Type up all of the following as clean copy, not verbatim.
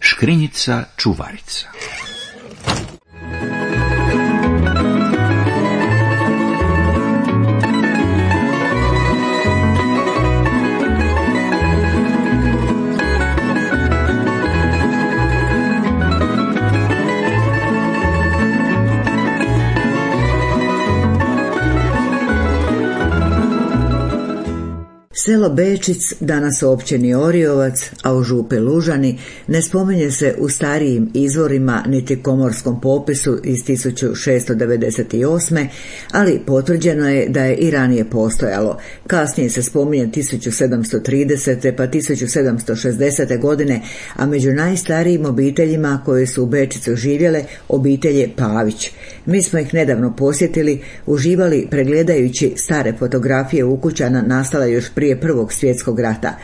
Škrinjica čuvarica. Selo Bečic, danas u općini Oriovac, a u župi Lužani, ne spominje se u starijim izvorima niti komorskom popisu iz 1698. ali potvrđeno je da je i ranije postojalo. Kasnije se spominje 1730. pa 1760. godine, a među najstarijim obiteljima koje su u Bečicu živjele obitelje Pavić. Mi smo ih nedavno posjetili, uživali pregledajući stare fotografije ukućana nastale još prije Prvog svjetskog rata.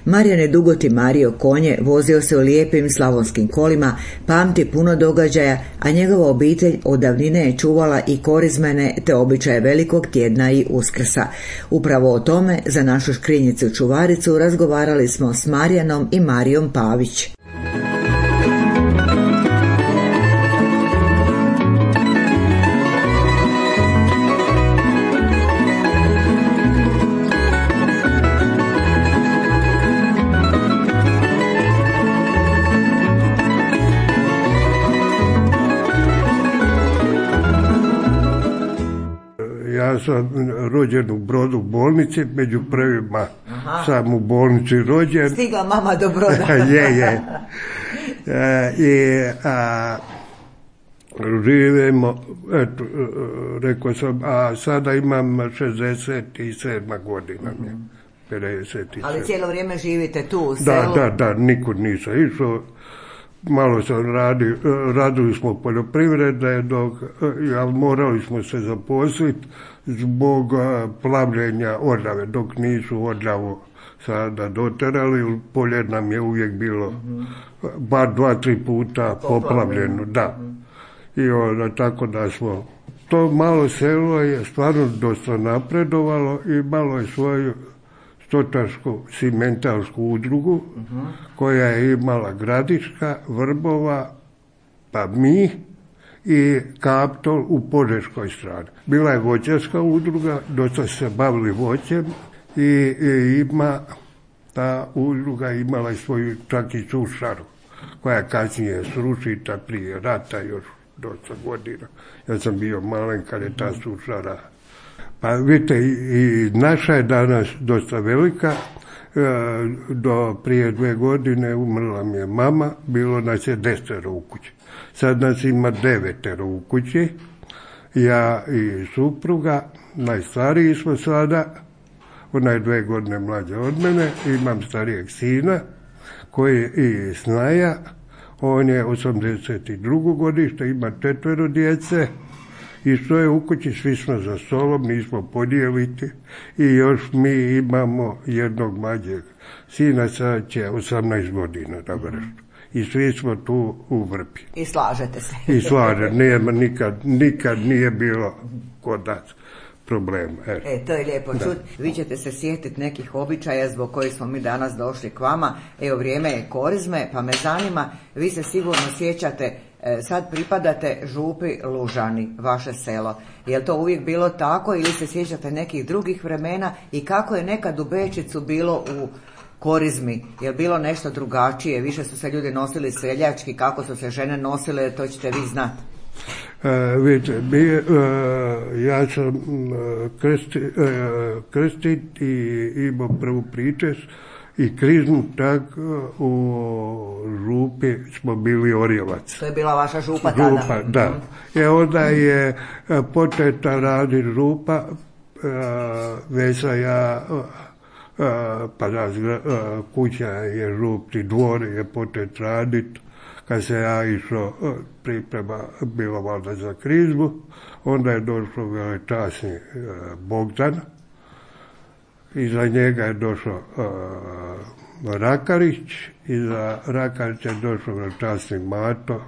Marijan je dugoti mario konje, vozio se u lijepim slavonskim kolima, pamti puno događaja, a njegova obitelj od davnine je čuvala i korizmene te običaje Velikog tjedna i Uskrsa. Upravo o tome za našu škrinjicu čuvaricu razgovarali smo s Marijanom i Marijom Pavić. Ja sam rođen u Brodu bolnici, među prvima sam u bolnici rođen. Stigla mama do Broda. je. Živimo, eto, rekao sam, a sada imam 67 godina. 57. Ali cijelo vrijeme živite tu u selu? Da, nikud nisam išao. Malo sam radili smo poljoprivrede, ali morali smo se zaposliti zbog plavljenja Orljave, dok nisu Orljavu sada doterali, polje nam je uvijek bilo bar 2-3 puta poplavljeno, da. I onda tako da smo, to malo selo je stvarno dosta napredovalo i malo je svoju stočarsku simentalsku udrugu koja je imala Gradiška, Vrbova, pa mi i Kaptol u Požeškoj strani. Bila je voćarska udruga, dosta se bavili voćem i ima ta udruga imala i svoju čak i sušaru koja kasnije srušita prije rata još dosta godina. Ja sam bio malen kad je ta sušara. Pa vidite, i naša je danas dosta velika. Do prije 2 godine umrla mi je mama, bilo nas je 10 u kući. Sad nas ima 9 u kući, ja i supruga, najstariji smo sada, ona je 2 godine mlađa od mene, imam starijeg sina koji je i Snaja, on je 82. godište, ima 4 djece. I što je u kući, svi smo za stolom, nismo podijeliti i još mi imamo jednog mlađeg sina, sad će 18 godina da vrstu. I svi smo tu u Vrbi. I slažete se. I slažem, nikad nije bilo kod nas problema. To je lijepo čuti. Vi ćete se sjetiti nekih običaja zbog kojih smo mi danas došli k vama. Evo, vrijeme je korizme, pa me zanima, vi se sigurno sjećate, sad pripadate župi Lužani, vaše selo. Je li to uvijek bilo tako ili se sjećate nekih drugih vremena i kako je nekad u Bečicu bilo u korizmi? Je li bilo nešto drugačije? Više su se ljudi nosili seljački, kako su se žene nosile, to ćete vi znati. Vidite, ja sam krstit i imao prvu pričest i krizmu, tak u župi smo bili Orjevac. To je bila vaša župa tada? Župa, da. Onda je početa raditi župa, Vesa ja, pa kuća je župni dvor, je počet raditi. Kad se ja išao, priprema bilo valjda za krizmu, onda je došao velečasni Bogdan, iza njega je došao Rakarić, iza Rakarića je došao velečasni Mato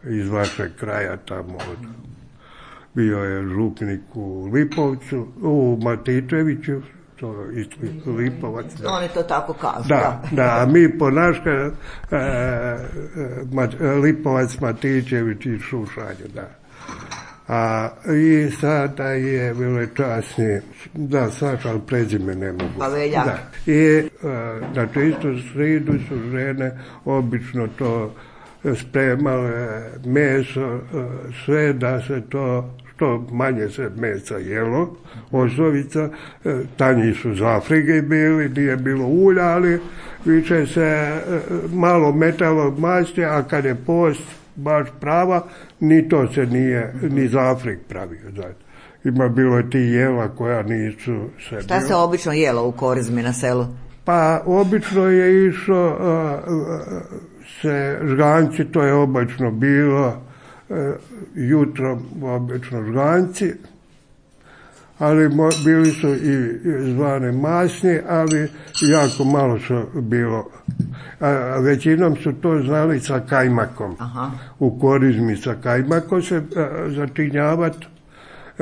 iz vašeg kraja tamo. Bio je župnik u Lipovcu, u Matičeviću, to isto Lipovac. Da. Oni to tako kažu. Da, a mi po naška Lipovac, Matičević i Šušanju, da. I sada je velečasni, da, Saša, ali prezime ne mogu. Pa Veljak. Da. I na čistu sridu su žene obično to spremale, meso, sve da se to, što manje se mesa jelo, osnovica, tanji su iz Afrike bili, nije bilo ulja, ali više se malo metalo masti, a kad je post baš prava, ni to se nije ni za Afrik pravio. Znači. Ima bilo ti jela koja nisu se... Šta se obično jelo u Korizmi na selu? Pa obično je išlo se žganci, to je obično bilo jutro obično žganci, ali bili su i zvane masni, ali jako malo su bilo. Većinom su to znali sa kajmakom. Aha. U Korizmi sa kajmakom se začinjavati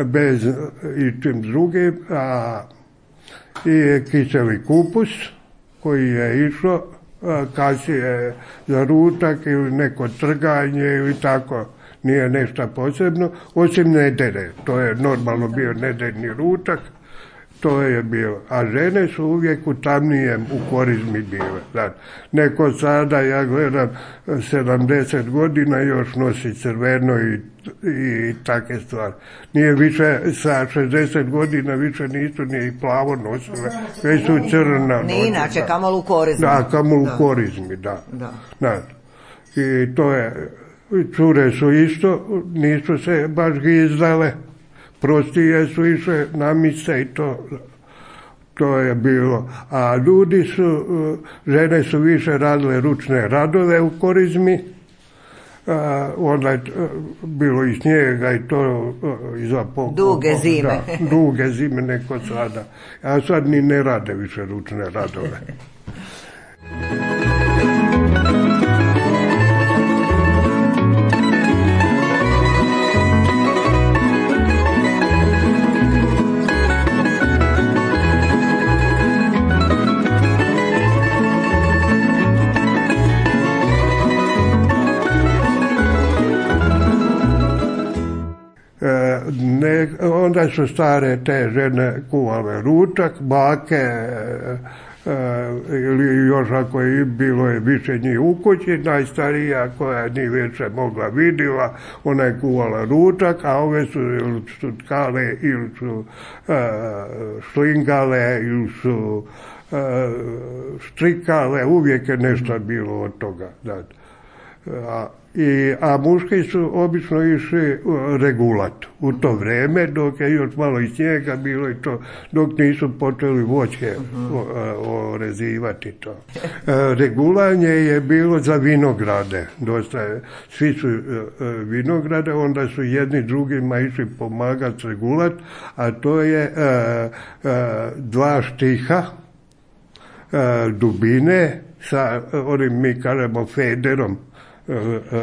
bez ičim drugim, i kiseli kupus koji je išao kasnije za ručak ili neko trganje ili tako, nije nešto posebno, osim nedere, to je normalno bio nedeljni ručak, to je bilo. A žene su uvijek u tamnijem u Korizmi bile. Znači, neko sada, ja gledam, 70 godina još nosi crveno i takve stvari. Nije više, sa 60 godina više nisu ni plavo nosile, već su crna. Ne inače, kamol u Korizmi. Da, kamol u Korizmi, da. I to je, cure su isto, nisu se baš gizdale, prostije su išle na mise i to je bilo. A ljudi su, žene su više radile ručne radove u Korizmi, onda je bilo i snijega i to iza pokopa. Duge zime. Da, duge zime neko sada. A sad ni ne rade više ručne radove. Onda su stare te žene kuvale ručak, bake, ili još ako je bilo je više njih u kući, najstarija koja nije više mogla vidjela, ona je kuvala ručak, a ove su ili su tkale, ili su šlingale, ili su štrikale, uvijek je nešto bilo od toga. A muški su obično išli regulat u to vreme, dok je još malo i snijega bilo i to, dok nisu počeli voćke orezivati to. Regulanje je bilo za vinograde, dosta, svi su vinograde, onda su jedni drugima išli pomagati regulat, a to je 2 štiha dubine sa onim, mi kažemo, federom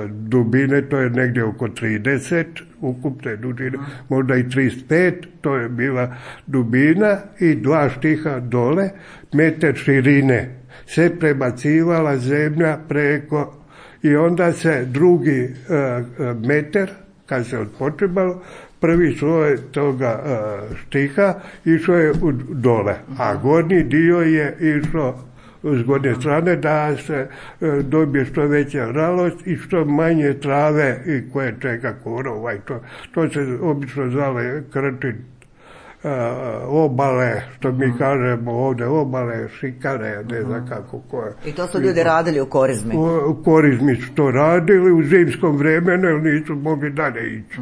dubine, to je negdje oko 30 ukupne dužine, možda i 35, to je bila dubina i 2 štiha dole, metar širine. Se prebacivala zemlja preko i onda se drugi metar, kad se odpočebalo, prvi sloj toga štiha išao je dole, a gornji dio je išao s gornje strane da se dobije što veća ralost i što manje trave i koje čega korova i to se obično zvale krčin, obale, što mi kažemo ovdje, obale, šikare, ne znam kako koje. I to su ljudi radili u Korizmi? U Korizmi su to radili u zimskom vremenu, jer nisu mogli dalje ići.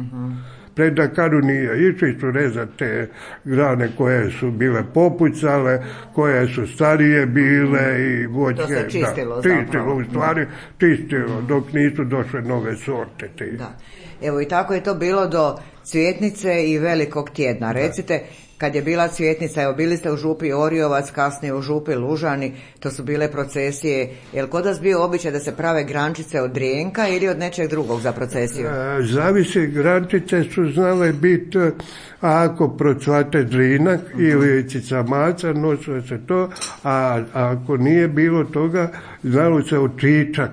Pred Dakaru nije išli su rezati te grane koje su bile popucale, koje su starije bile i voćke. To se čistilo zapravo. U stvari čistilo, dok nisu došle nove sorte. Da. Evo i tako je to bilo do Cvjetnice i Velikog tjedna. Recite, kad je bila Cvjetnica, evo bili ste u župi Oriovac, kasnije u župi Lužani, to su bile procesije. Je li kod vas bio običaj da se prave grančice od drijenka ili od nečeg drugog za procesiju? Zavisi, grančice su znale biti, ako procvate drinak ili cicamaca, nosilo se to, a ako nije bilo toga, znalo se od čičak.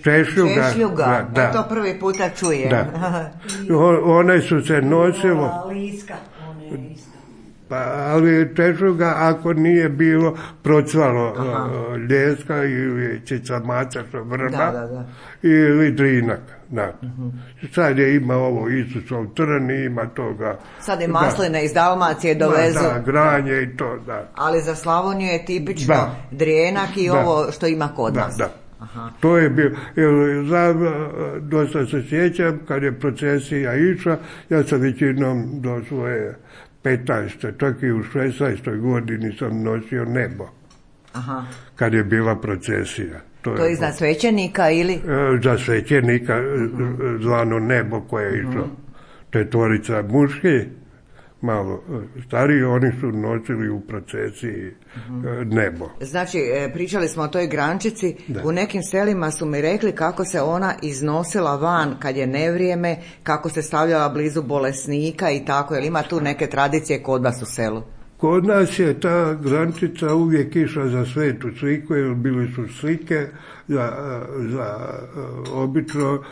Češljuga. Da. To prvi puta čujem. Da. One su se nosilo. Ali češljuga ako nije bilo procvalo ljeska ili cicamaca što vrba ili drinak. Sad je ima ovo Isusov trn, ima toga. Sad i masline iz Dalmacije dovezu. Granje i to, da. Ali za Slavoniju je tipično drijenak i ovo što ima kod nas. Da. To je bilo, dosta se sjećam, kad je procesija išla, ja sam većinom do svoje 15. čak i u 16. godini sam nosio nebo. Kad je bila procesija. To je za svećenika ili? Za svećenika, zvano nebo koje je išlo. Četvorica muški, malo stariji, oni su nosili u procesiji nebo. Znači, pričali smo o toj grančici, u nekim selima su mi rekli kako se ona iznosila van kad je nevrijeme, kako se stavljala blizu bolesnika i tako, jer ima tu neke tradicije kod vas u selu? Kod nas je ta grančica uvijek išla za svetu sliku, jer bili su slike za obično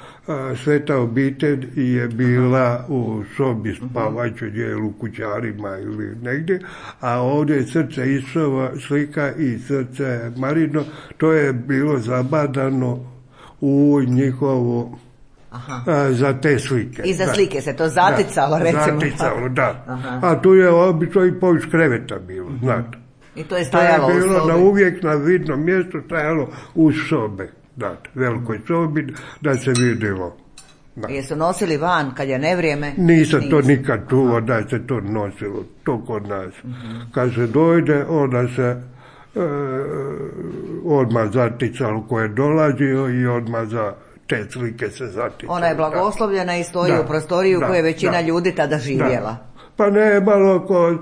sveta obitelj je bila u sobi spavajućoj gdje u kućarima ili negdje, a ovdje je srce Isova slika i srce Marino, to je bilo zabadano u njihovu za te slike. I za slike se to zaticalo, recimo. Zaticalo, da. A tu je obično i poviš kreveta bilo, znate. I to je stajalo u sobi. To je bilo uvijek na vidnom mjestu, stajalo u sobe, znate, velikoj sobi, da se vidjelo. Jesu nosili van kad je nevrijeme? Nisam to nikad čuo da se to nosilo, to kod nas. Kad se dojde, onda se odmah zaticalo ko je dolazio i odmah za te slike se zaticalo. Ona je blagoslovljena i stoji u prostoriju u kojoj je većina ljudi tada živjela. Pa ne malo kod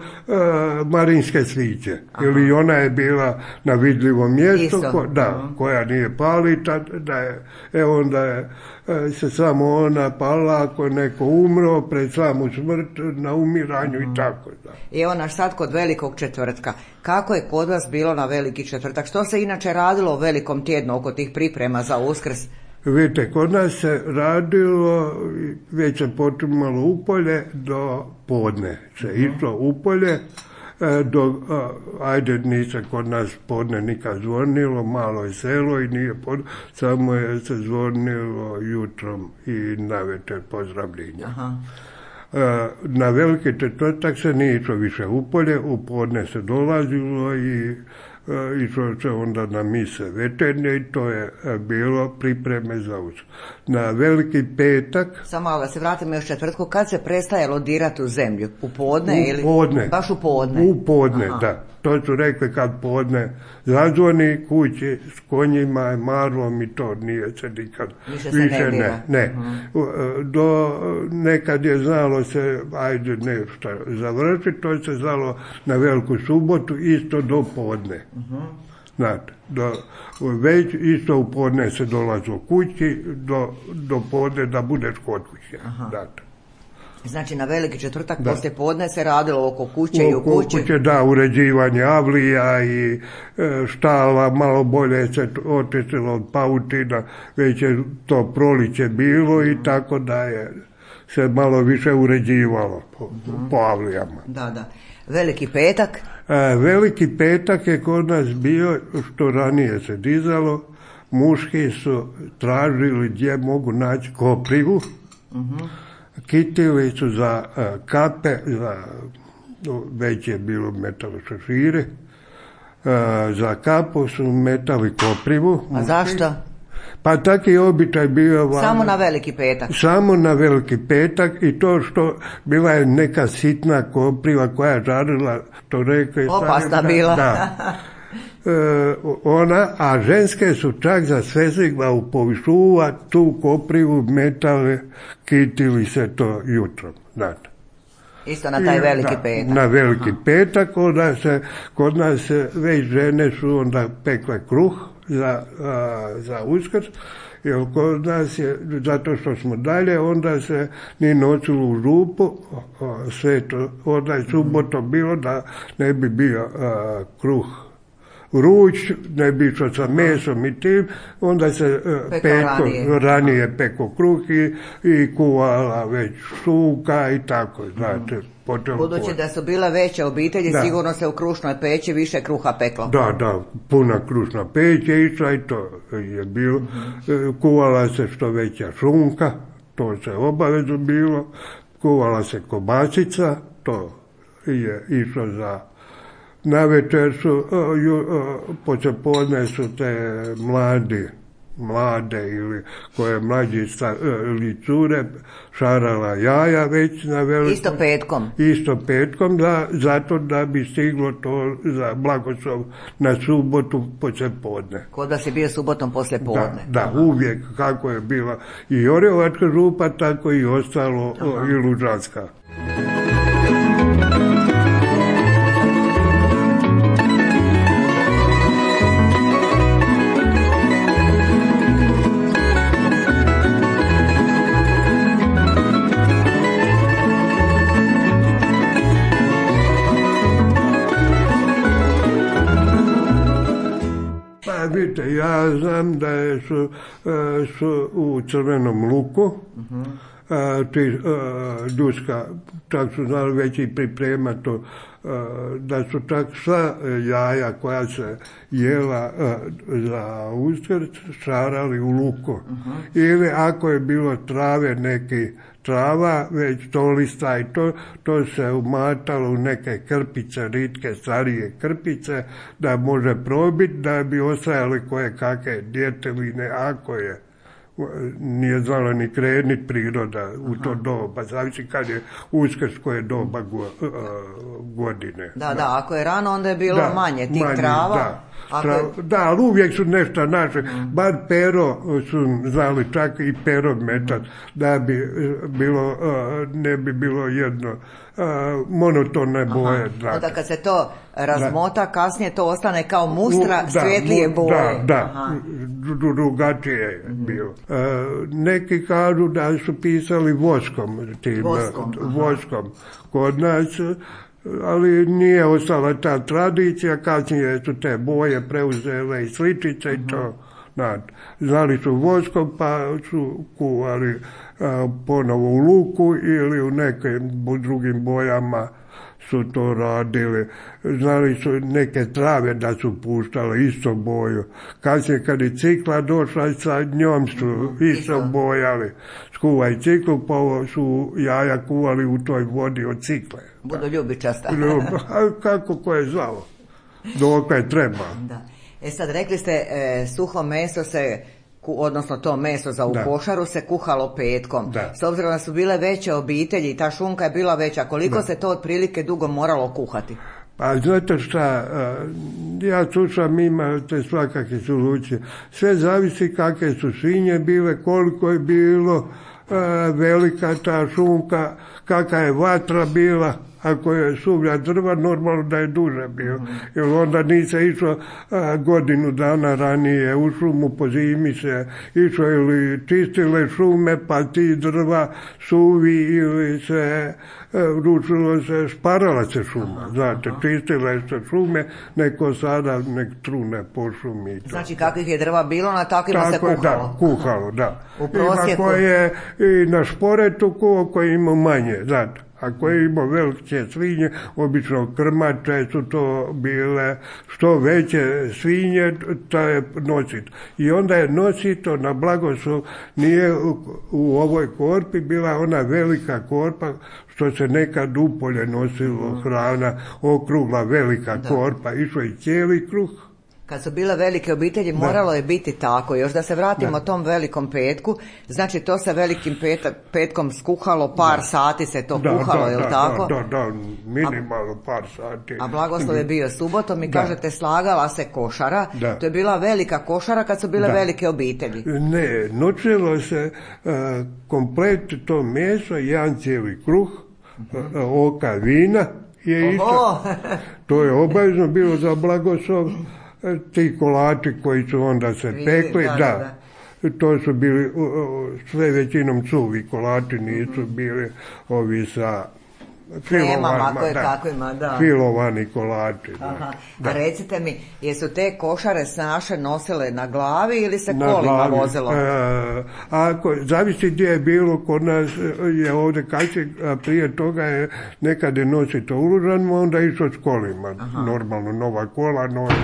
Marinske sviće. Ili ona je bila na vidljivom mjestu, koja nije palita, onda je se samo ona pala ako neko umro pred samu smrt na umiranju i tako. Da. I evo naš sad kod Velikog četvrtka. Kako je kod vas bilo na Veliki četvrtak? Što se inače radilo u Velikom tjednu oko tih priprema za Uskrs? Vidite, kod nas se radilo, već se počinjalo upolje do podne. Se išlo upolje, nije se kod nas podne nikad zvonilo, malo je selo i nije podne, samo je se zvonilo jutrom i navečer pozdravljenja. Na Veliki četvrtak se nije išlo više upolje, u podne se dolazilo i išlo se onda na mise večernje i to je bilo pripreme za Uskrs. Na Veliki petak... Samo da se vratimo još četvrtku, kad se prestajalo dirati u zemlju? U podne ili? Baš u podne? U podne, da. To su rekli kad podne zazvoni kući s konjima, marlom i to nije se nikad više ne. Nekad je znalo se, ajde nešto završiti, to se znalo na Veliku subotu isto do podne. Znate, već isto u podne se dolazi u kući, do podne da budeš kod kuće. Znate. Znači na Veliki četvrtak poslije podne se radilo oko kuće i u kući? Kuće, da, uređivanje avlija i štala, malo bolje se očistilo od pautina, već je to proliće bilo i tako da je se malo više uređivalo po avlijama. Da. Veliki petak? Veliki petak je kod nas bio, što ranije se dizalo, muški su tražili gdje mogu naći koprivu, kitili su za kape, već je bilo metalo šešire, za kapu su metali koprivu. A zašto? Pa taki običaj bio... Samo na Veliki petak? Samo na Veliki petak i to što bila je neka sitna kopriva koja žarila, to rekli... Opasna bila. Da. A ženske su čak za svezigla u povišuva tu koprivu metale, kitili se to jutrom, znate. Isto na taj veliki petak. Na veliki petak, kod nas već žene su onda pekle kruh za Uskrs, jer kod nas je, zato što smo dalje, onda se ni nosilo u župu, sve to, onda je subotom bilo da ne bi bio kruh vruć, ne bi išao sa mesom i tim, onda se ranije peko kruh i kuvala već šunka i tako, znate. Budući da su bile veće obitelji, sigurno se u krušnoj peći više kruha peklo. Da, puna krušna peć je išla i to je bilo. Kuvala se što veća šunka, to se obavezno bilo. Kuvala se kobasica, to je išlo za... Na večer su, poslijepodne su te mlade ili koje mlađi ili cure šarala jaja već na velikom. Isto petkom, zato da bi stiglo to za blagoslov na subotu poslijepodne. Kod vas je bio subotom poslijepodne. Da, uvijek kako je bila i Orjevačka župa, tako i ostalo i Lužanska. Vidite, ja znam da su u Crvenom Luku, Duška, čak su znali već i pripremati to, da su čak sva jaja koja se jela za Uskrs šarali u luku. Ili ako je bilo trave neki trava, već tolista i to se umatalo u neke krpice, ritke, starije krpice, da može probiti, da bi ostajali koje kakve djeteline, ako je. Nije znala ni krenit priroda u to doba, zavisi kad je Uskrs, koje doba godine. Da, ako je rano, onda je bilo manje tih trava. Da, ali uvijek su nešto naše, bar pero su znali čak i pero metat, da bi bilo, ne bi bilo jedno monotone boje. Onda kad se to razmota, kasnije to ostane kao mustra svjetlije boje. Da, drugačije je bilo. Neki kažu da su pisali voskom kod nas, ali nije ostala ta tradicija, kasnije su te boje preuzele i sličice i to. Znali su voskom pa su kuvali ponovo u luku ili u nekim drugim bojama su to radili. Znali su neke trave da su puštale isto boju. Kasnije kad je cikla došla, sa njom su isto bojali. Skuvaj ciklu, pa su jaja kuvali u toj vodi od cikle. Budu ljubičasta. Kako ko je znao. Dok je treba. Da. Sad rekli ste, suho meso se, odnosno to meso za u košaru se kuhalo petkom. S obzirom da su bile veće obitelji, ta šunka je bila veća, koliko se to otprilike dugo moralo kuhati? Pa znate šta, ja slušam, imate svakakve solucije. Sve zavisi kakve su svinje bile, koliko je bilo velika ta šunka, kakva je vatra bila. Ako je suvlja drva, normalno da je duže bio. Jer onda nisi išao godinu dana ranije u šumu, po zimi se išao ili čistile šume, pa ti drva suvi ili se ručilo se, šparala se šuma. Znate, čistile se šume, neko sada nek trune po šumi. Znači kakvih je drva bilo, na takvima se kuhalo? Da, kuhalo, da. U prosjeku? Ima koje i na šporetu, koje ima manje, znate. Ako je imao velike svinje, obično krmače su to bile, što veće svinje, to je nosit. I onda je nosito na blagoslov, nije u ovoj korpi bila ona velika korpa, što se nekad upolje nosilo hrana, okrugla velika korpa, išlo i cijeli kruh. Kad su bile velike obitelji, moralo je biti tako. Još da se vratimo tom velikom petku, znači to se velikim petkom skuhalo, par sati se to kuhalo, je li tako? Da, minimalno par sati. A blagoslov je bio subotom i kažete slagala se košara, to je bila velika košara kad su bile velike obitelji. Ne, noćilo se komplet to meso, jedan cijeli kruh, oka vina je išao. To je obavezno bilo za blagoslov. Ti kolači koji su onda se pekli, da. To su bili sve većinom suvi kolači, nisu bili ovi sa filovani kolači. A recite mi, jesu te košare snaše nosile na glavi ili se kolima vozilo? Zavisi gdje je bilo, kod nas je ovdje kaće, prije toga je nekada nosito u Lužanima, onda išlo s kolima. Normalno, nova kola, nova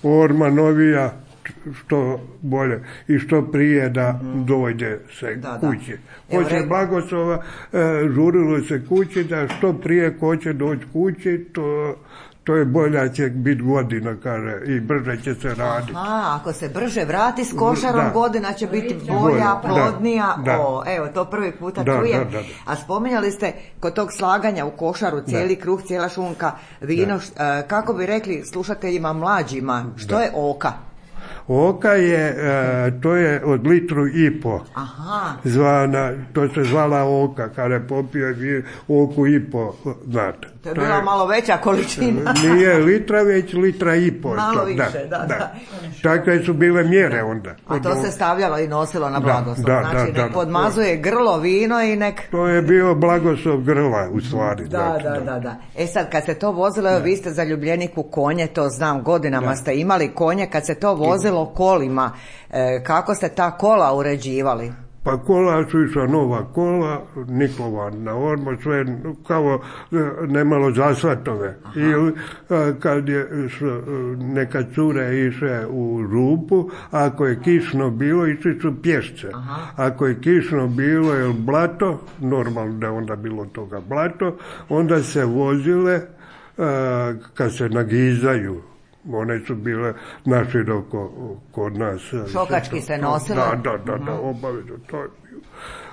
orma, novija, što bolje i što prije da dođe se kući. Poslije blagoslova žurilo se kući da što prije ko će doći kući, to je bolja će biti godina, kaže, i brže će se raditi. Ako se brže vrati s košarom, godina će biti bolja, plodnija. Evo, to prvi puta čujem. A spominjali ste kod tog slaganja u košaru cijeli kruh, cijela šunka, vino, kako bi rekli slušateljima mlađima, što je oka? Oka je, to je od litru i po. Zvana, to se zvala oka, kada je popio je oku i po, znate. To je bila malo veća količina. Nije litra, već litra i po. Malo više, da. Takve su bile mjere onda. A to se stavljalo i nosilo na blagoslov. Znači, nek podmazuje grlo, vino i nek... To je bio blagoslov grla, u stvari. Da. Sad, kad se to vozilo, vi ste zaljubljenik u konje, to znam, godinama ste imali konje, kad se to vozilo kolima, kako ste ta kola uređivali? Pa kola su išla nova kola, Niklova na ormo, sve kao nemalo zasvatove. I kad je neka cure išle u župu, ako je kišno bilo, išli su pješce. Ako je kišno bilo ili blato, normalno da je onda bilo toga blato, onda se vozile kad se nagizaju. One su bile naširoko kod nas. Šokački se nosile? Da, obavezno.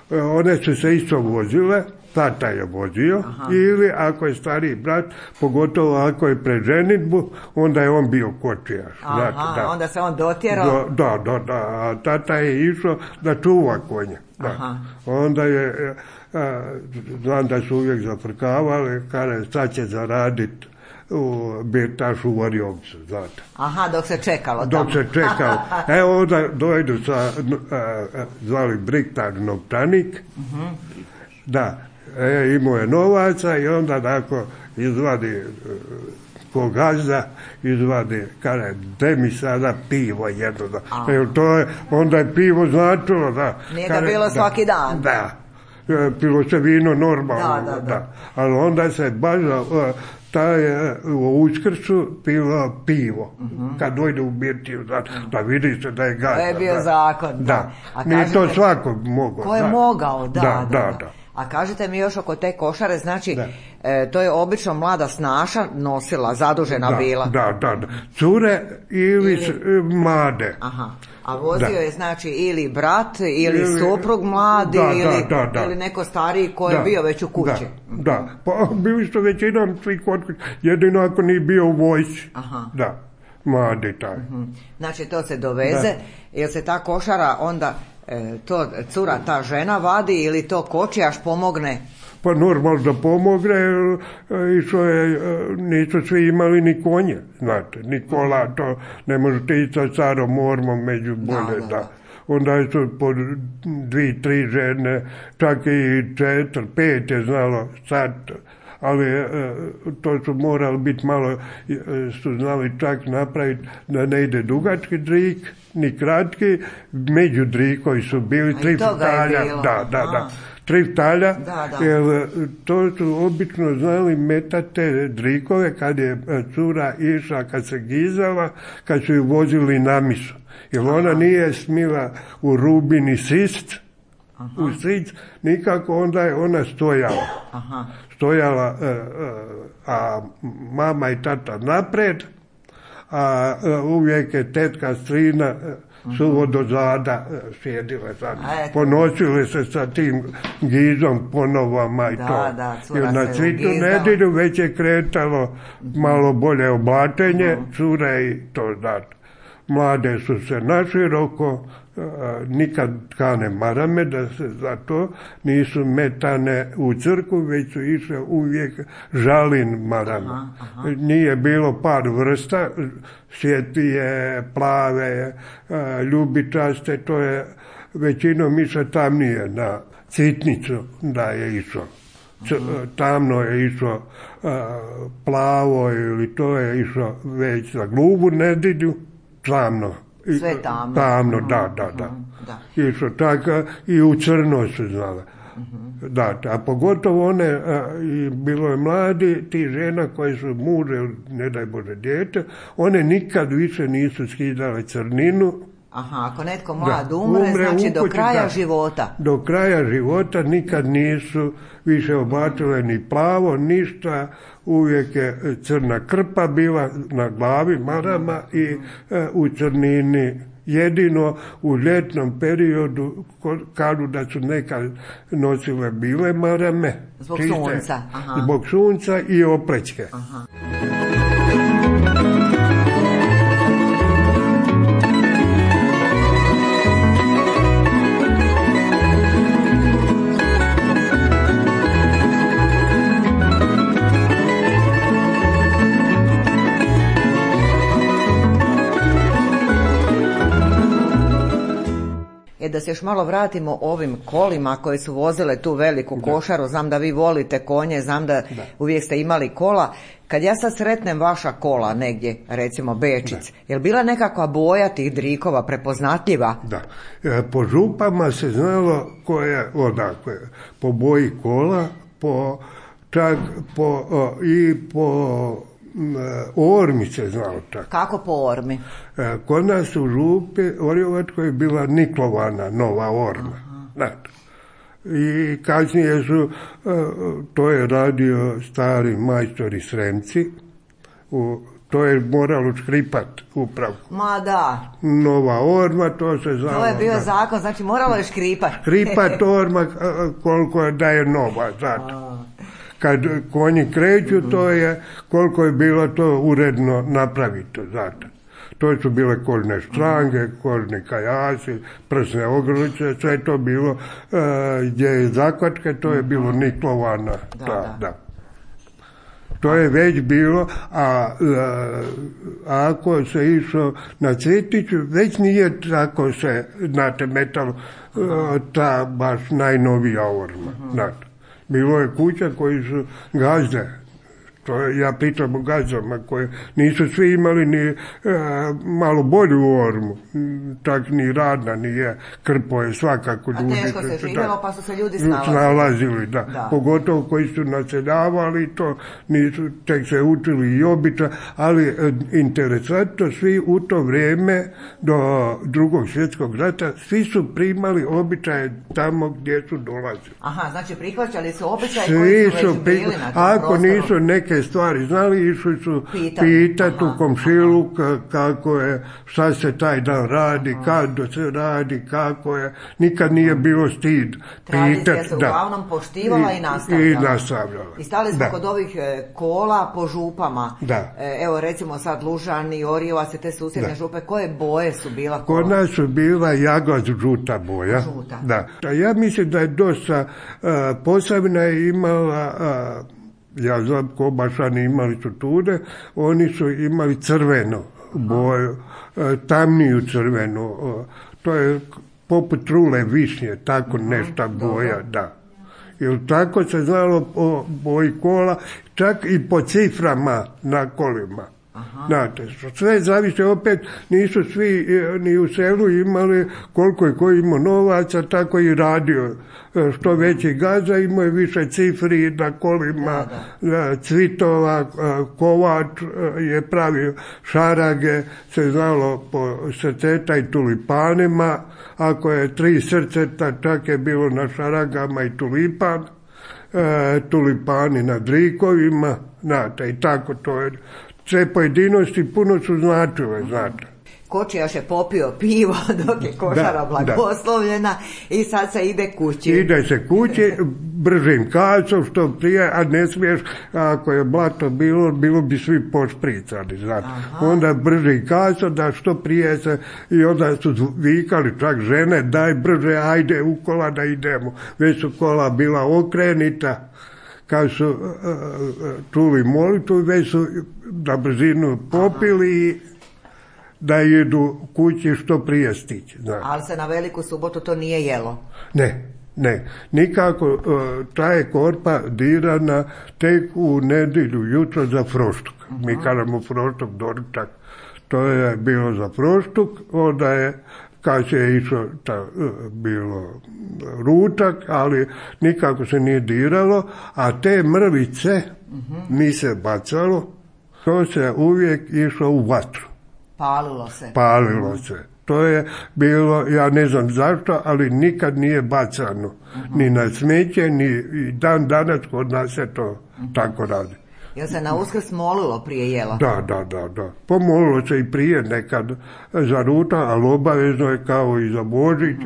One su se isto vozile, tata je vozio, ili ako je stariji brat, pogotovo ako je pred ženitbu, onda je on bio kočijaš. Onda se on dotjerao? Da, a tata je išao da čuva konje. Onda je, znam da su uvijek zafrkavali, kada sad će zaraditi u birtašu u Orjovcu, znate. Dok se čekalo tamo. Dok se čekalo. Evo onda dojdu sa, zvali Briktar Novčanik, imao je novaca i onda tako izvadi ko gazda, izvadi, kaže, de mi sada pivo jedno. Onda je pivo značilo, da. Nije ga bilo svaki dan. Da. Pilo se vino normalno, ali onda se baš u Uskrsu pilo pivo. Kad dojde u birtiju, da vidi se da je gazda. To je bio zakon. Da. Nije to svako mogao. Ko je mogao, da. A kažete mi još oko te košare, znači, to je obično mlada snaša nosila, zadužena bila. Da. Cure ili mlade. A vozio je znači ili brat, ili suprug mladi, ili neko stariji koji je bio već u kući. Da, pa bili su većinom svi kod kući, jedino ako nije bio u vojsci. Da, mladi taj. Znači to se doveze, jer se ta košara onda, to cura, ta žena vadi ili to kočijaš pomogne? Pa normalno da pomogne, nisu svi imali ni konje, znate, ni kola, to ne možete ići sa carom ormom među bolje, da. Onda su po 2-3 žene, čak i 4-5 je znalo sad, ali to su morali biti malo, su znali čak napraviti da ne ide dugački drik, ni kratki, među drikovi su bili 3 ftalja, da. 3 ftalja, jer to su obično znali metati drikove kad je cura išla, kad se gizala, kad su ju vozili na misu. Jer ona nije smila u rubini sist, u sic, nikako, onda je ona stojala. Stojala, a mama i tata napred, a uvijek je tetka strina suvo do zada sjedile sad. Ponosile se sa tim gizom, ponovama i to. Jer na Svitu nedjelju već je kretalo malo bolje oblačenje, cure i to znate. mlade su se naširoko, nikad tkane marame, da se za to nisu metane u crkvu, već su išle uvijek žalin marame. Nije bilo par vrsta, svjetlije, plave, ljubičaste, to je većinom išlo tamnije na citnicu da je išlo. Tamno je išlo plavo ili to je išlo već za glubu nedjelju, tamno. Sve tamno. Tamno, da. Išlo tako i u crno su znala. Da, a pogotovo one, bilo je mladi, ti žena koji su muže, ne daj Bože dijete, one nikad više nisu skidale crninu. Aha, ako netko mlad umre, znači do kraja života. Do kraja života nikad nisu više oblačile ni plavo, ništa, uvijek je crna krpa bila na glavi, marama i u crnini. Jedino u ljetnom periodu, kažu da su nekad nosile bile marame. Zbog sunca. Aha. Zbog sunca i oplećke. Aha. Da se još malo vratimo ovim kolima koje su vozile tu veliku košaru, znam da vi volite konje, znam da uvijek ste imali kola. Kad ja sad sretnem vaša kola negdje, recimo Bečic, je li bila nekakva boja tih drikova prepoznatljiva? Da, po župama se znalo ko je odakle, po boji kola, čak po ormi se znao čak. Kako po ormi? Kod nas u župi Orjevačkoj je bila niklovana nova orma. Znači, i kasnije su, to je radio stari majstori Sremci, to je moralo škripat upravo. Ma da. Nova orma, to se znalo. To je bio zakon, znači moralo je škripat. Škripat orma koliko da je nova, zato. Kad konji kreću, to je koliko je bilo to uredno napravito, zato. To su bile kožne štrange, kožni kajasi, prsne ogrlice, sve to bilo, gdje je zakvatke, to je bilo niklovana. Da. To je već bilo, a ako se išlo na Cvjetiću, već nije tako se, znate, metalo ta baš najnovija orma, znate. Bilo je kuća koji su gazde, ja pitam o gazdama koje nisu svi imali ni malo bolju ormu, tak ni radna nije, krpo je svakako ljudi. A teško se živjelo pa su se ljudi snalazili. Da. Pogotovo koji su naseljavali, to nisu, tek se učili i običaj, ali interesantno, svi u to vrijeme do Drugog svjetskog rata, svi su primali običaje tamo gdje su dolazili. Aha, znači prihvaćali su običaje koji su već bili na tom ako prostoru. Nisu neke stvari znali, išli su pitati u komšilu kako je, šta se taj dan radi, kad se radi, kako je, nikad nije bilo stid. Tradicija se uglavnom poštivala i nastavljala. I stali smo kod ovih kola po župama. Evo recimo sad Lužani, Orjevac, te susjedne župe, koje boje su bila kola? Kod nas su bila jaglac žuta boja. Da. Ja mislim da je dosta, Posavina je imala, ja znam, Kobašani imali su tude, oni su imali crvenu boju, tamniju crvenu, to je poput trule višnje, tako nešto boja, da. Jer tako se znalo po boji kola, čak i po ciframa na kolima. Znate, sve zavisi, opet nisu svi ni u selu imali koliko je ko imao novaca, tako i radio. Što veći gazda imao je više cifri na kolima, cvitova, kovač je pravio šarage, se znalo po srceta i tulipanima, ako je 3 srceta, čak je bilo na šaragama i tulipan, tulipani na drikovima, znate, i tako to je. Sve pojedinosti puno su značile, znate. Kočijaš je popio pivo dok je košara blagoslovljena i sad se ide kući. Ide se kući, bržim kacom što prije, a ne smiješ, ako je blato bilo bi svi pošpricani, znači. Onda bržim kacom da što prije se, i onda su vikali čak žene, daj brže, ajde u kola da idemo. Već su kola bila okrenita, kad su čuli molitvu, već su na brzinu popili i da idu kući što prije stići. Znači. Ali se na Veliku subotu to nije jelo? Ne. Nikako, ta je korpa dirana tek u nedjelju jutro za froštuk. Mi kažemo froštuk, doručak. To je bilo za froštuk, onda je kad se je išlo bilo ručak, ali nikako se nije diralo, a te mrvice mi se bacalo, to se uvijek išlo u vatru. Palilo se. To je bilo, ja ne znam zašto, ali nikad nije bacano. Ni na smeće, ni dan danas kod nas se to tako radi. Jel se na Uskrs molilo prije jela? Da. Pomolilo se i prije nekad za ručak, ali obavezno je kao i za Božić.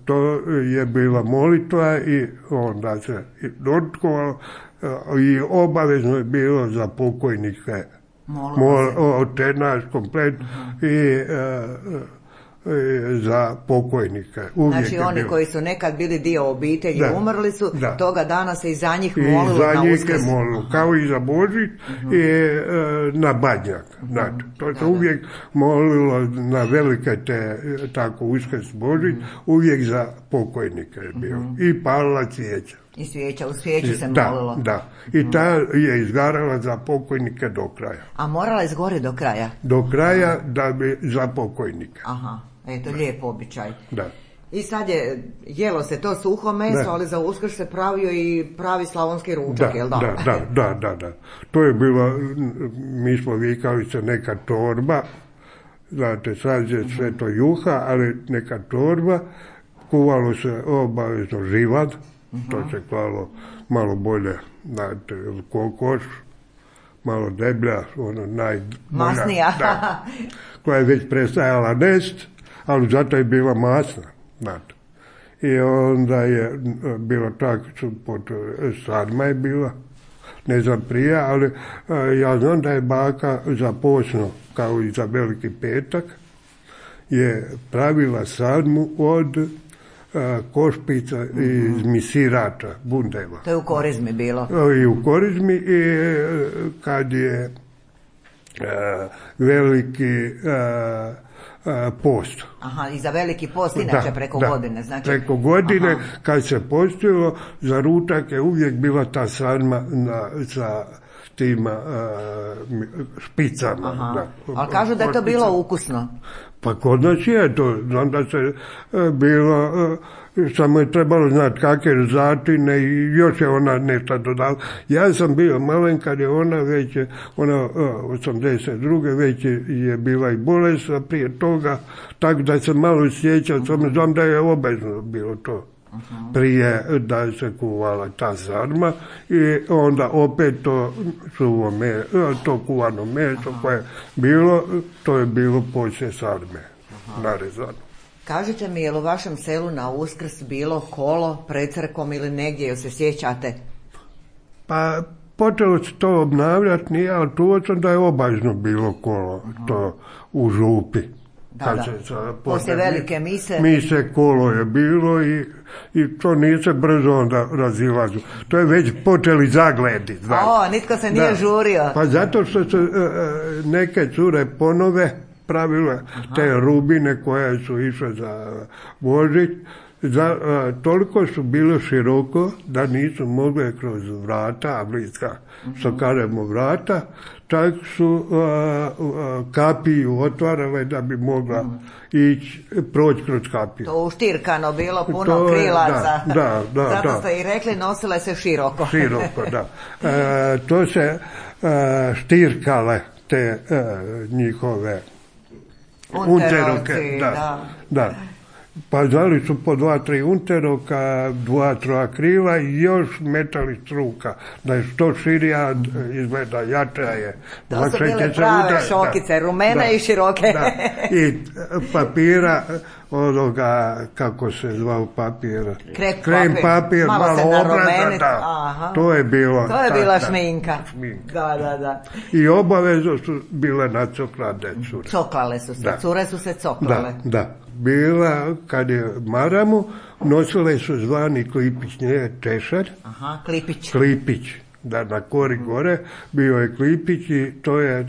To je bila molitva i onda se dočkovalo i obavezno je bilo za pokojnike. Otenaš komplet i za pokojnike. Znači oni koji su nekad bili dio obitelji, umrli su, toga dana se i za njih molilo na Uskrs. I za njih je molilo, kao i za Božić i na Badnjak. Znači, to se uvijek molilo na velike te, tako Uskrs, Božić, uvijek za pokojnike je bilo. I palila cvijeća. I svijeća, u svijeću se molilo. Da. I ta je izgarala za pokojnike do kraja. A morala izgori do kraja? Do kraja da bi za pokojnike. Aha, eto, lijep običaj. Da. I sad je, jelo se to suho meso, ali za Uskrs se pravio i pravi slavonski ručak, jel da? Da. To je bilo, mi smo vikali se neka torba, znate, sad je sve to juha, ali neka torba, kuvalo se obavezno živad, to se klalo malo bolje, znate, kokoš, malo deblja, masnija, koja je već prestajala nest, ali zato je bila masna, znate. I onda je bilo tako, sarma je bila, ne znam prije, ali ja znam da je baka za posno, kao i za Veliki petak, je pravila sarmu od košpica iz misirača, bundeva. To je u Korizmi bilo? I u Korizmi, i kad je veliki post. Aha, i za Veliki post, inače preko godine. Znači... Preko godine, kad se postilo, za ručak je uvijek bila ta sarma sa tim špicama. Ali kažu da je to bilo ukusno. Pa kod nas je to, znam da se bilo, samo je trebalo znati kakve začine i još je ona nešto dodala. Ja sam bio malen kad je ona već, 82. već je bila i bolest, a prije toga, tako da se malo sjećam, samo znam da je obavezno bilo to. Prije da se kuvala ta sarma i onda opet to kuvano meso koje je bilo, to je bilo poslije sarme narezano. Kažite mi, je li u vašem selu na Uskrs bilo kolo pred crkom ili negdje, jel se sjećate? Pa počelo se to obnavljati, nije, ali čuo sam da je obavezno bilo kolo to u župi. Da. Poslije velike mise. Mise kolo je bilo i to nije se brzo onda razilazu. To je već počeli zagledi. Nitko se nije žurio. Pa zato što su neke cure ponove pravile te rubine koje su išle za Božić. Toliko su bilo široko da nisu mogli kroz vrata, bliska što kažemo vrata, čak su kapiju otvarale da bi mogla proći kroz kapiju. To uštirkano bilo, puno krilaca. Da. Zato ste i rekli, nosile se široko. Široko, da. To se štirkale te njihove unteroke. Da. Pa zvali su po 2-3 unteroka, 2-3 krila i još metali struka. Da je što širija, izgleda jača je. To su bile prave šokice, rumene i široke. Da. I papira, onoga, kako se zvao papir? Krem papir, malo obrada, to je bilo. To je bila šminka. Da. I obavezno su bile nacoklane cure. Coklale su se, cure su se coklale. Da. Bila, kad je maramu, nosile su zvani klipić, nije češalj. Klipić. Da, na kori gore bio je klipić i to je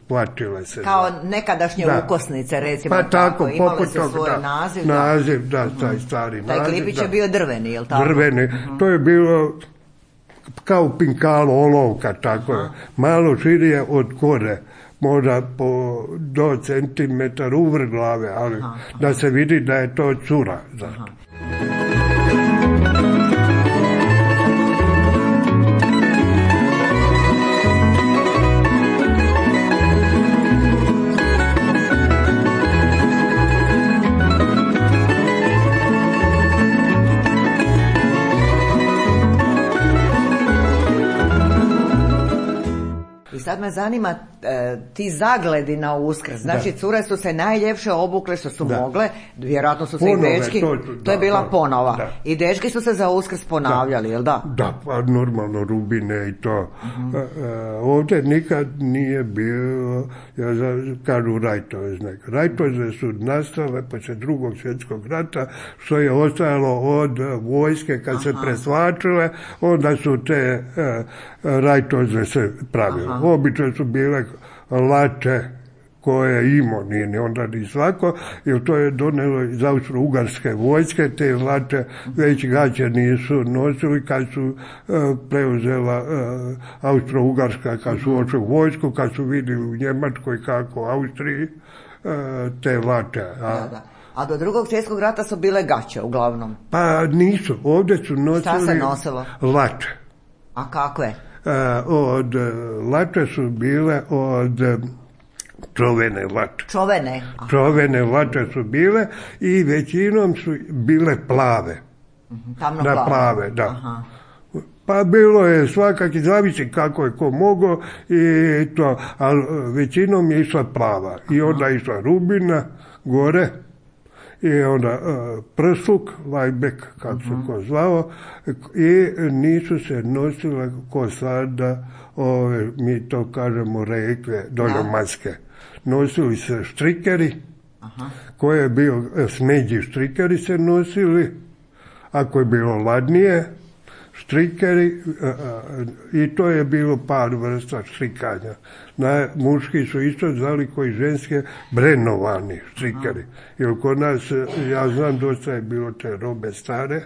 plačile se. Kao nekadašnje ukosnice, recimo. Pa tako, imale su svoj naziv. Naziv, taj stari naziv. Taj klipić je bio drveni, je li tako? Drveni, to je bilo kao pinkalo, olovka, tako je. Malo širije od kore. Možda do centimetar uvrh glave, ali da se vidi da je to cura. Sad me zanima ti zagledi na Uskrs. Znači, cure su se najljepše obukle što su mogle, vjerojatno su se i dečki, to je bila ponova. I dečki su se za Uskrs ponavljali, jel da? Da, pa normalno rubine i to. Ovdje nikad nije bilo, kažu rajtove. Rajtove su nastale poslije Drugog svjetskog rata, što je ostajalo od vojske kad se presvačile, onda su te rajtove se pravile. Obično su bile lače koje je imao, nije ni onda ni svako, jer to je donelo iz Austro-Ugarske vojske, te lače već gaće nisu nosili kad su preuzela Austro-Ugarska, kad su očeli vojsku, kad su vidjeli u Njemačkoj kako u Austriji te lače. A do Drugog svjetskog rata su bile gaće uglavnom? Pa nisu, ovdje su nosili... Šta se nosilo? Lače. A kakve? Od lače su bile od čovene lače. Čovene lače su bile i većinom su bile plave. Tamno plave. Da. Aha. Pa bilo je svakaki, zavisi kako je ko mogao i to, ali većinom je išla plava. I onda je išla rubina gore. I onda prsluk, lajbek, kako se ko zvao, i nisu se nosile ko sada, mi to kažemo rekve, doljomanske. Nosili se štrikeri, koje je bio, smeđi štrikeri se nosili, ako je bilo ladnije, štrikeri, i to je bilo par vrsta štrikanja. Muški su isto zvali koji ženske brenovani štrikeri. Jer kod nas, ja znam, dosta je bilo te robe stare,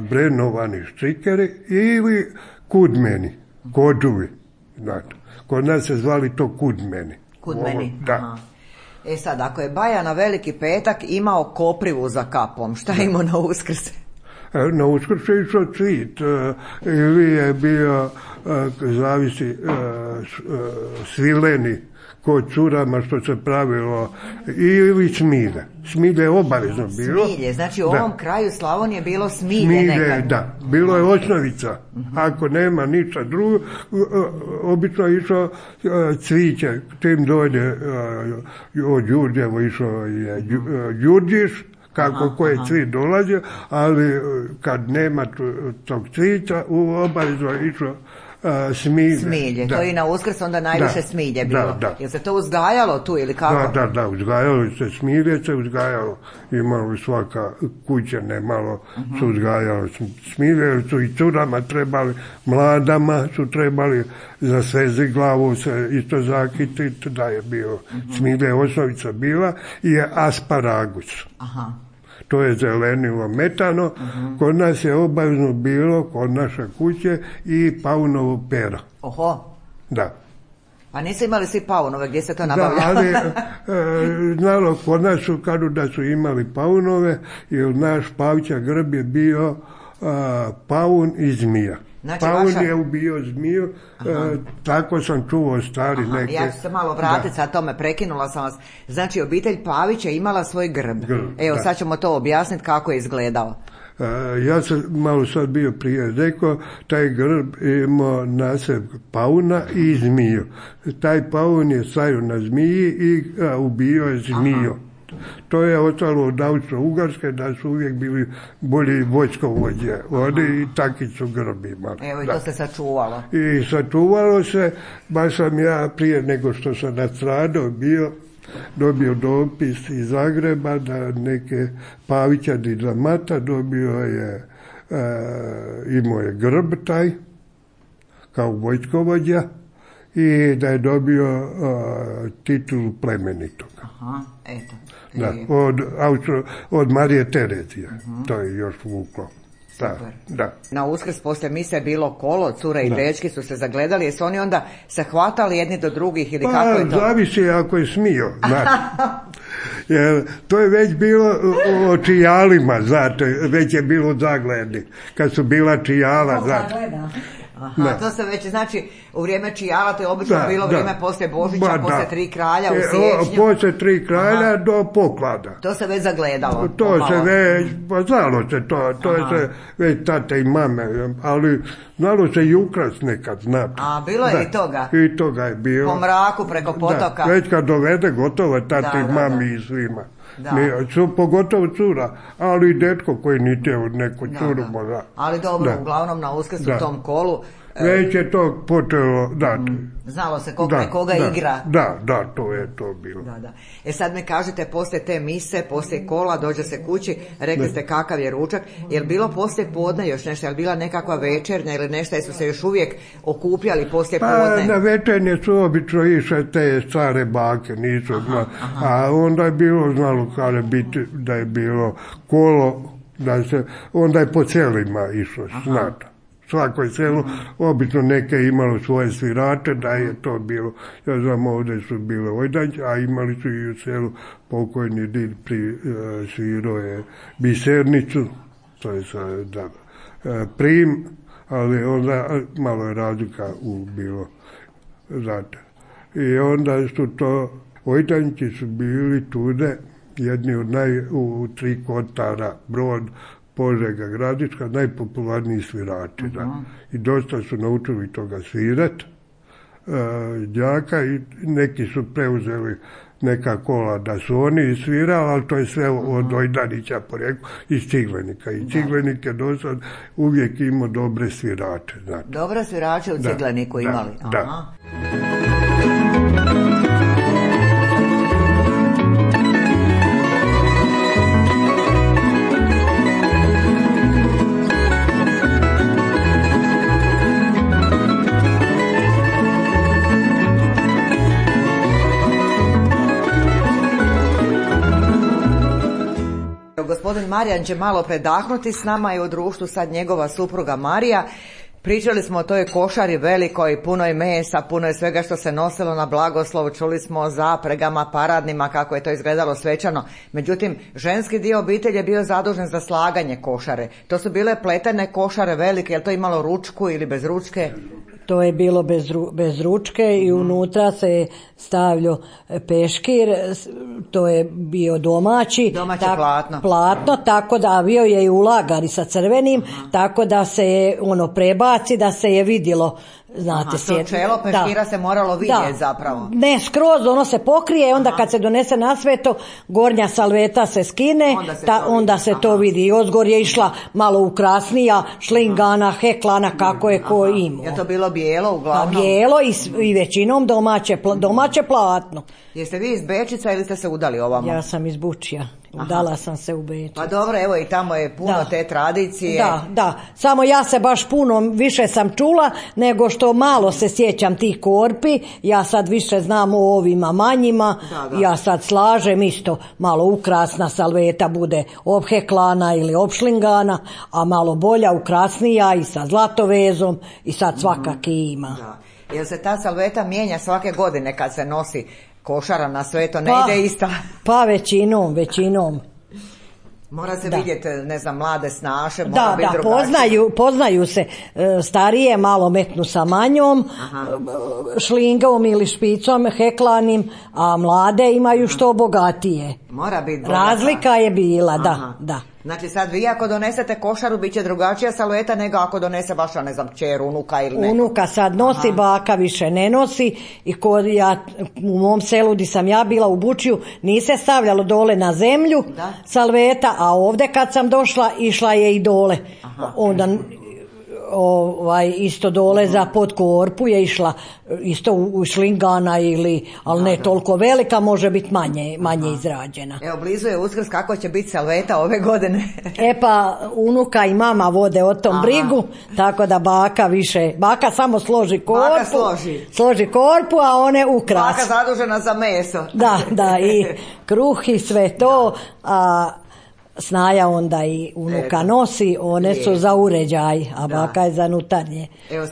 brenovani štrikeri ili kudmeni, kođuvi. Kod nas se zvali to kudmeni. Da. Sad, ako je Baja na Veliki petak imao koprivu za kapom, šta je imao na Uskrs? Na Uskrs je išao cvit, ili je bio, zavisi, svileni kod curama što se pravilo, ili smilje. Smilje je obavezno bilo. Smilje, znači u ovom kraju Slavonije je bilo smilje nekad. Da, bilo je osnovica. Ako nema ništa drugo, obično je išao cviće. Tim dođe od Đurđevo išao je Đurđiš, kako koje cvit dolazi, ali kad nema tog cvića, obavezno je išao smilje. To i na Uskrs onda najviše smilje bilo. Jel se to uzgajalo tu ili kako? Da, uzgajalo se smilje, uzgajalo. Imalo svaka kuća, malo su uzgajalo smilje, jer su i curama trebali, mladama su trebali za svezi glavu se isto zakititi, da je bio smilje, osnovica bila, i asparagus. To je zelenilo metano. Kod nas je obavezno bilo, kod naše kuće, i paunovo pero. Oho. Da. A nisu imali svi paunove, gdje se to nabavljalo? Da, ali znalo, kod nas su, kažu da su imali paunove, jer naš Pavća Grb je bio paun i zmija. Znači, paun je ubio zmiju, tako sam čuo stari neke. Ja ću se malo vratiti, sad tome prekinula sam vas. Znači, obitelj Pavić je imala svoj grb. Evo, sad ćemo to objasniti kako je izgledao. Ja sam malo sad bio prije rekao, taj grb imao nasev pauna i zmiju. Taj paun je stajao na zmiji i ubio je zmiju. To je ostalo od Austro-Ugarske, da su uvijek bili bolji vojskovođe. Oni i taki su grbi imali. Evo, i to se sačuvalo. I sačuvalo se, baš sam ja prije nego što sam nastradao dobio dopis iz Zagreba da neke Pavićani za Mata dobio je, imao je grb taj, kao vojskovođa, i da je dobio titulu plemenitog. Aha, eto. Da, od Marije Terezije. To je još vuklo. Da. Na Uskrs poslije mise je bilo kolo, cure i dečki su se zagledali, jesu oni onda se hvatali jedni do drugih ili kako je to? Zavisi ako je smio, jer to je već bilo o čijalima, znate, već je bilo zagledi, kad su bila čijala, znate. Aha, to se već, znači, u vrijeme čijala, to je obično bilo vrijeme poslije Božića, poslije 3 kralja u siječnju. Poslije 3 kralja do poklada. To se već zagledalo. To se već, pa znalo se to je se već tate i mame, ali znalo se i ukras nekad, znate. A, bilo je i toga? I toga je bilo. Po mraku, preko potoka. Već kad dovede gotovo tate i mami i svima. Pogotovo cura, ali i detko koji niti je od neku curu možda. Ali dobro, uglavnom na Uskrs u tom kolu već je to počelo dati. Znalo se koga igra. Da, to je to bilo. Da. Sad mi kažete, poslije te mise, poslije kola, dođe se kući, rekli ste kakav je ručak. Je li bilo poslije podne još nešto? Je li bila nekakva večernja ili nešto? Jesu se još uvijek okupljali poslije podne? Na večernje su obično išle te stare bake, nisu. A onda je bilo, znalo kada biti da je bilo kolo, onda je po selima išlo, znate. Svako selo, obično neke imalo svoje svirače, da je to bilo, ja znam, ovdje su bile ojdanće, a imali su i u selu pokojni did svirao je bisernicu, to je prim, ali onda malo je razlika bilo, znate. I onda su to, ojdanći su bili tude, jedni od u 3 Kotara, Brod, Požega, Gradiška, najpopularniji svirači. I dosta su naučili toga svirat, đaka, i neki su preuzeli neka kola da su oni svirali, ali to je sve od Ojdanića poreklo, iz Ciglenika. I Ciglenik je dosta uvijek imao dobre svirače. Znate. Dobre svirače u Cigleniku imali? Da. Gospodin Marijan će malo predahnuti s nama i u društvu sad njegova supruga Marija. Pričali smo o toj košari velikoj, punoj mesa, puno je svega što se nosilo na blagoslov, čuli smo o zapregama, paradnima, kako je to izgledalo svečano. Međutim, ženski dio obitelji je bio zadužen za slaganje košare. To su bile pletene košare velike, je li to imalo ručku ili bez ručke? To je bilo bez ručke i unutra se je stavljao peškir, to je bio domaće platno, tako da bio je i u lagari sa crvenim, tako da se je prebaci, da se je vidjelo. Znate, to čelo peškira se moralo vidjeti zapravo. Ne, skroz ono se pokrije, onda kad se donese na sveto, gornja salveta se skine, onda se to vidi. I ozgor je išla malo ukrasnija, šlingana, heklana, kako je ko imao. Je to bilo bijelo uglavnom? Bijelo i većinom domaće platno. Jeste vi iz Bečica ili ste se udali ovamo? Ja sam iz Bučja. Udala sam se u Beč. Pa dobro, evo i tamo je puno te tradicije. Da, samo ja se baš puno više sam čula nego što malo se sjećam tih korpi. Ja sad više znam o ovima manjima. Ja sad slažem isto, malo ukrasna salveta bude obheklana ili opšlingana, a malo bolja, ukrasnija i sa zlatovezom i sad svakaki ima. Jel se ta salveta mijenja svake godine kad se nosi košara na sveto, ne ide ista? Pa većinom. Mora se vidjeti, ne znam, mlade snaše, mora Da, biti da, drugačije. poznaju se starije, malo metnu sa manjom, šlingom ili špicom, heklanim, a mlade imaju što bogatije. Mora biti bogata. Razlika je bila, da. Znači sad vi ako donesete košaru, bit će drugačija salveta nego ako donese vaša, ne znam, kćer, unuka ili neko. Unuka sad nosi, baka više ne nosi i u mom selu gdje sam ja bila u Bučiju nije se stavljalo dole na zemlju salveta, a ovdje kad sam došla išla je i dole. Onda isto dole za podkorpu je išla isto u šlingana ali ne toliko velika, može biti manje izrađena. Evo, blizu je Uskrs, kako će biti salveta ove godine? Pa unuka i mama vode o tom brigu, tako da baka samo složi korpu. Baka složi korpu, a one ukras. Baka zadužena za meso. Da, i kruh i sve to, a snaja onda i unuka nosi, one su za uređaj, a baka je za nutarnje. Evo,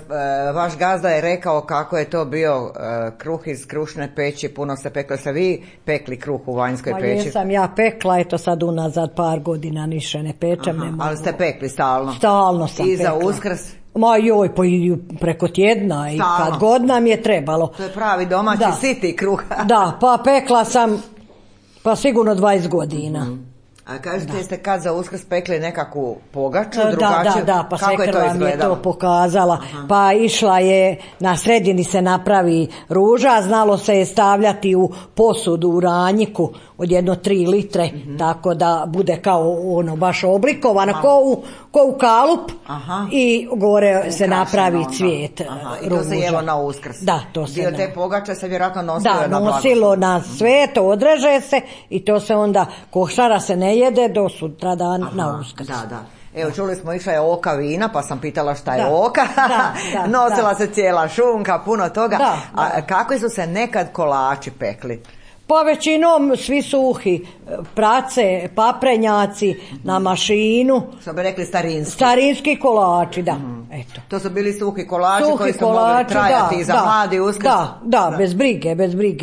vaš gazda je rekao kako je to bio kruh iz krušne peći, puno se peklo. Ste vi pekli kruh u vanjskoj peći? Jesam ja pekla, eto sad unazad par godina niše ne pečem. Ne mogu. Ali ste pekli stalno? Stalno sam I pekla. za Uskrs? Ma joj, pa i preko tjedna i kad god nam je trebalo. To je pravi domaći siti kruh. Da, pa pekla sam pa sigurno 20 godina. A kažete, jeste kad za Uskrs pekli nekakvu pogaču drugačiju? Da, pa kako svekra vam je to pokazala. Pa išla je, na sredini se napravi ruža, znalo se je stavljati u posudu, u ranjiku od 1-3 litre, tako da bude kao ono baš oblikovana, ko u kalup i gore se napravi cvijet. I to se jelo na Uskrs. Da, to se. Dio te pogače se vjerojatno nosilo na blagoslov. Da, nosilo na sve, to odreže se i to se onda, košara se ne jede do sutra dan na Uskrs. Da. Evo, čuli smo, išla je oka vina, pa sam pitala šta je oka. Nosila se cijela šunka, puno toga. A kako su se nekad kolači pekli? Pa većinom svi suhi, prace, paprenjaci na mašinu. Što bi rekli starinski. Starinski kolači, da. Eto. To su bili suhi kolači koji su mogli trajati za mladi Uskrs. Da, bez brige.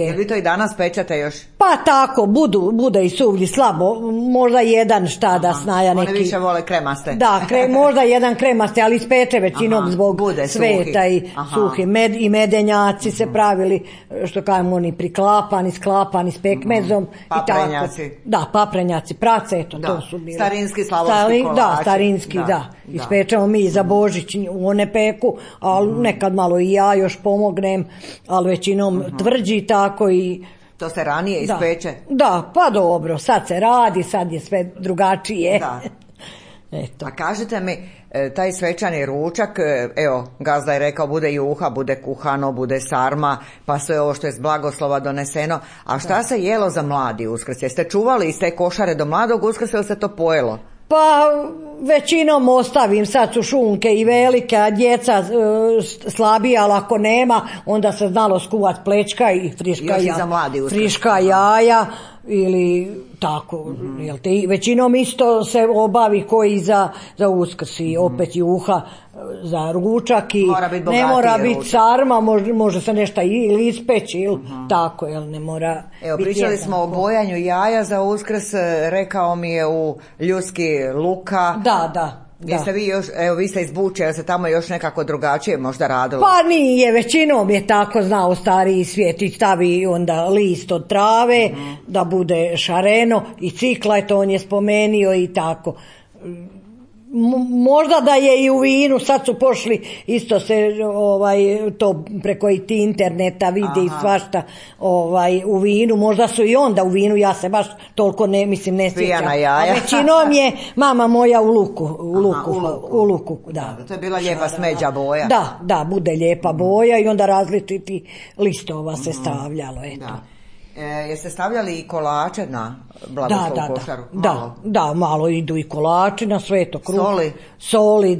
Jel vi to i danas pečete još? Pa tako, bude i suvlji slabo, možda jedan šta da snaja neki. One više vole kremaste. Da, možda jedan kremaste, ali ispeče većinom zbog sveta i suhi. I medenjaci se pravili, što kažemo, oni priklapani, sklapani s pekmezom. Paprenjaci. Da, paprenjaci, prace, eto, to su bili. Starinski slavonski kolači. Da, starinski, da. Ispečemo mi za Božić one peku, ali nekad malo i ja još pomognem, ali većinom tvrđi tako i... To se ranije ispeče? Da, pa dobro, sad se radi, sad je sve drugačije. Da. Eto. A kažete mi, taj svečani ručak, evo, gazda je rekao, bude juha, bude kuhano, bude sarma, pa sve ovo što je s blagoslova doneseno. A šta se jelo za mladi Uskrs? Jeste čuvali iz te košare do mladog Uskrsa ili se to pojelo? Pa većinom ostavim, sad su šunke i velike, a djeca slabija, ali ako nema, onda se znalo skuvat plečka i friška jaja ili tako. Većinom isto se obavi koji za Uskrs i opet juha za ručak i ne mora biti sarma, može se nešto ili ispeći ili tako, jel ne mora. Evo, pričali smo o bojanju jaja za Uskrs, rekao mi je u Ljuski Luka. Da. Jeste vi još, evo vi ste iz Buče, jel se tamo još nekako drugačije možda radilo? Pa nije, većinom je tako znao stariji svijet i stavi onda list od trave da bude šareno i cikla, to on je spomenio i tako. Možda da je i u vinu, sad su pošli isto se to preko i ti interneta vidi i svašta u vinu, možda su i onda u vinu, ja se baš toliko ne sjećam. A većinom je mama moja u luku. Da. To je bila lijepa smeđa boja. Da, bude lijepa boja i onda različiti listova se stavljalo, eto. Jeste stavljali i kolače na blagoslovu košaru? Da, malo idu i kolači na sve to. Soli,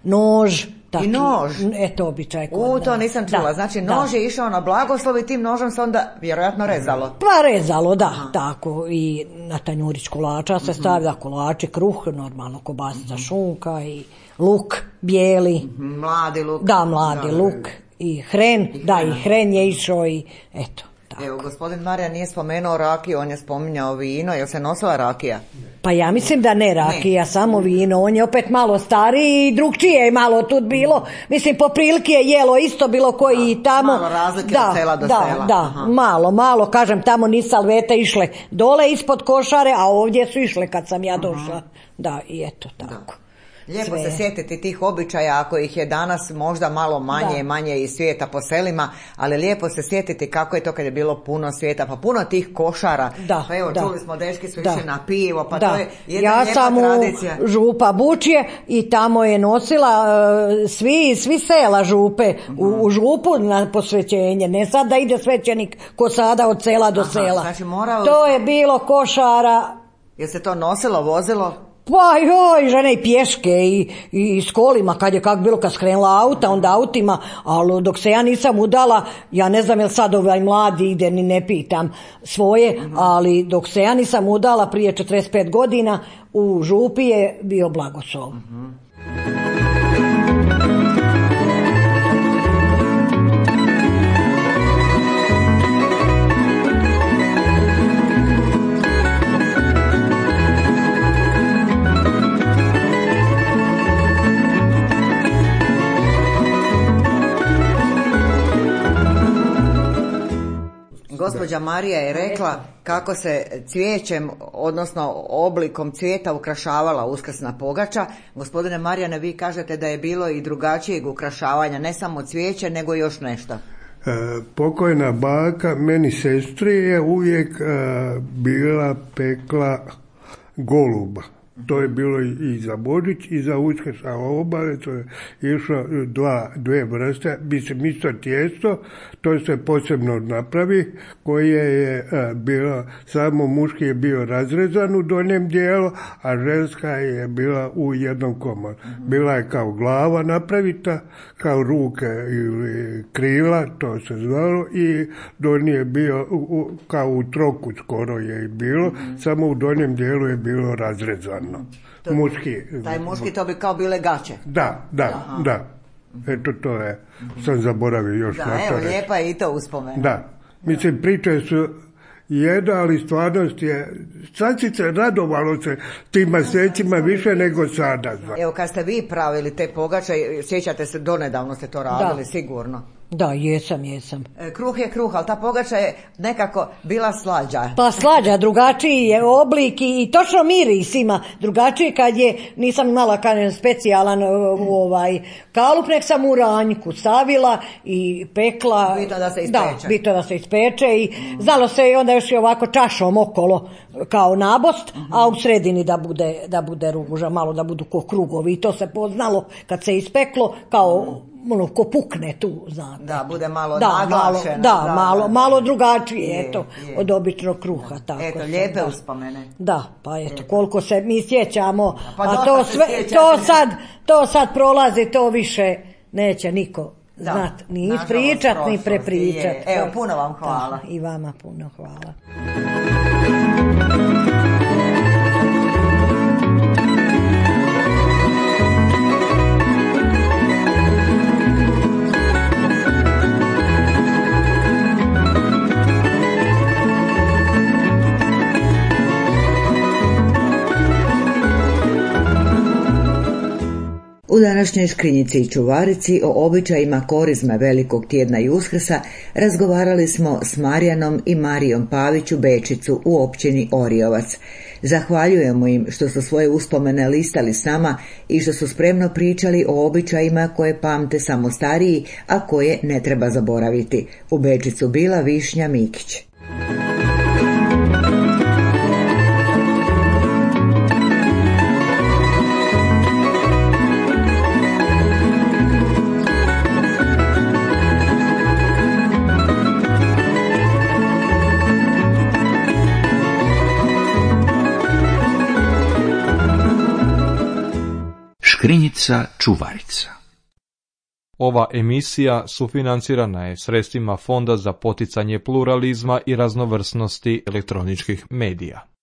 nož. I nož? Eto, običaj kod to nisam čula. Znači, nož je išao na blagoslov i tim nožom se onda vjerojatno rezalo? Pa rezalo, da, tako. I na tanjurić kolača se stavlja kolači, kruh, normalno kobasica, šunka i luk bijeli. Mladi luk. Da, mladi luk. I hren, i hren je išao i eto. Evo, gospodin Marijan nije spomenuo rakiju, on je spominjao vino, jel se nosila rakija? Pa ja mislim da ne rakija, samo vino. On je opet malo stariji i drugčije je malo tu bilo. Mislim, po prilike je jelo isto bilo koji i tamo. Malo razlike od sela do sela. Da, malo. Kažem, tamo ni salvete išle dole ispod košare, a ovdje su išle kad sam ja došla. Da, i eto tako. Lijepo se sjetiti tih običaja, ako ih je danas možda malo manje iz svijeta po selima, ali lijepo se sjetiti kako je to kad je bilo puno svijeta, pa puno tih košara. Pa evo, čuli smo, dečki su išli na pivo, pa to je jedna lijepa tradicija. Ja sam u župa Bučje i tamo je nosila svi sela župe u župu na posvećenje, ne sad da ide svećenik ko sada od sela do sela. Znači to je bilo košara. Je se to nosilo, vozilo? Pa joj, žene i pješke i s kolima, kad je bilo kad skrenula auta, onda autima, ali dok se ja nisam udala, ja ne znam jel sad ovaj mladi ide, ni ne pitam svoje, ali dok se ja nisam udala prije 45 godina, u župi je bio blagoslov. Gospođa Marija je rekla kako se cvijećem, odnosno oblikom cvijeta ukrašavala uskrsna pogača. Gospodine Marijane, vi kažete da je bilo i drugačijeg ukrašavanja, ne samo cvijeće, nego još nešto. Pokojna baka, meni sestri, je uvijek bila pekla goluba. To je bilo i za Božić i za Uskrs, a obale to je išlo dve vrste, mislim isto tijesto, to se posebno napravi, koje je bilo, samo muški je bio razrezan u donjem dijelu, a ženska je bila u jednom komoru. Bila je kao glava napravita, kao ruke ili krila, to se zvalo, i donji je bio kao u troku skoro je i bilo, samo u donjem dijelu je bilo razrezano. Muški. Taj muški, to bi kao bile gaće. Da. Eto, to je, sam zaboravio još na to reći. Da, evo, lijepa je i to uspomena. Da, mislim, priče su jedna, ali stvarnost je, sad si se radovalo se tim mjesecima više nego sada. Evo, kad ste vi pravili te pogače, sjećate se, donedavno ste to radili, sigurno. Da, jesam. Kruh je kruh, ali ta pogača je nekako bila slađa. Pa slađa, drugačiji je oblik i točno miris ima. Drugačiji kad je, nisam imala specijalan kalup, nek sam u ranjku stavila i pekla. Bitno da se ispeče. Da, bitno da se ispeče i znalo se i onda još i ovako čašom okolo kao nabost, a u sredini da bude ruža, malo da budu ko krugovi. I to se poznalo kad se ispeklo kao ko pukne tu, znate. Da, bude malo naglašeno. Malo drugačije, eto, od običnog kruha. Tako eto, lijepe uspomene. Da, pa eto, koliko se mi sjećamo, pa a to sad prolazi, to više neće niko znat, ni ispričat, ni prepričat. Evo, puno vam hvala. I vama puno hvala. U današnjoj Škrinjici i Čuvarici o običajima korizme Velikog tjedna i Uskrsa razgovarali smo s Marijanom i Marijom Pavić u Bečicu u općini Oriovac. Zahvaljujemo im što su svoje uspomene listali s nama i što su spremno pričali o običajima koje pamte samo stariji, a koje ne treba zaboraviti. U Bečicu bila Višnja Mikić. Škrinjica Čuvarica. Ova emisija sufinancirana je sredstvima Fonda za poticanje pluralizma i raznovrsnosti elektroničkih medija.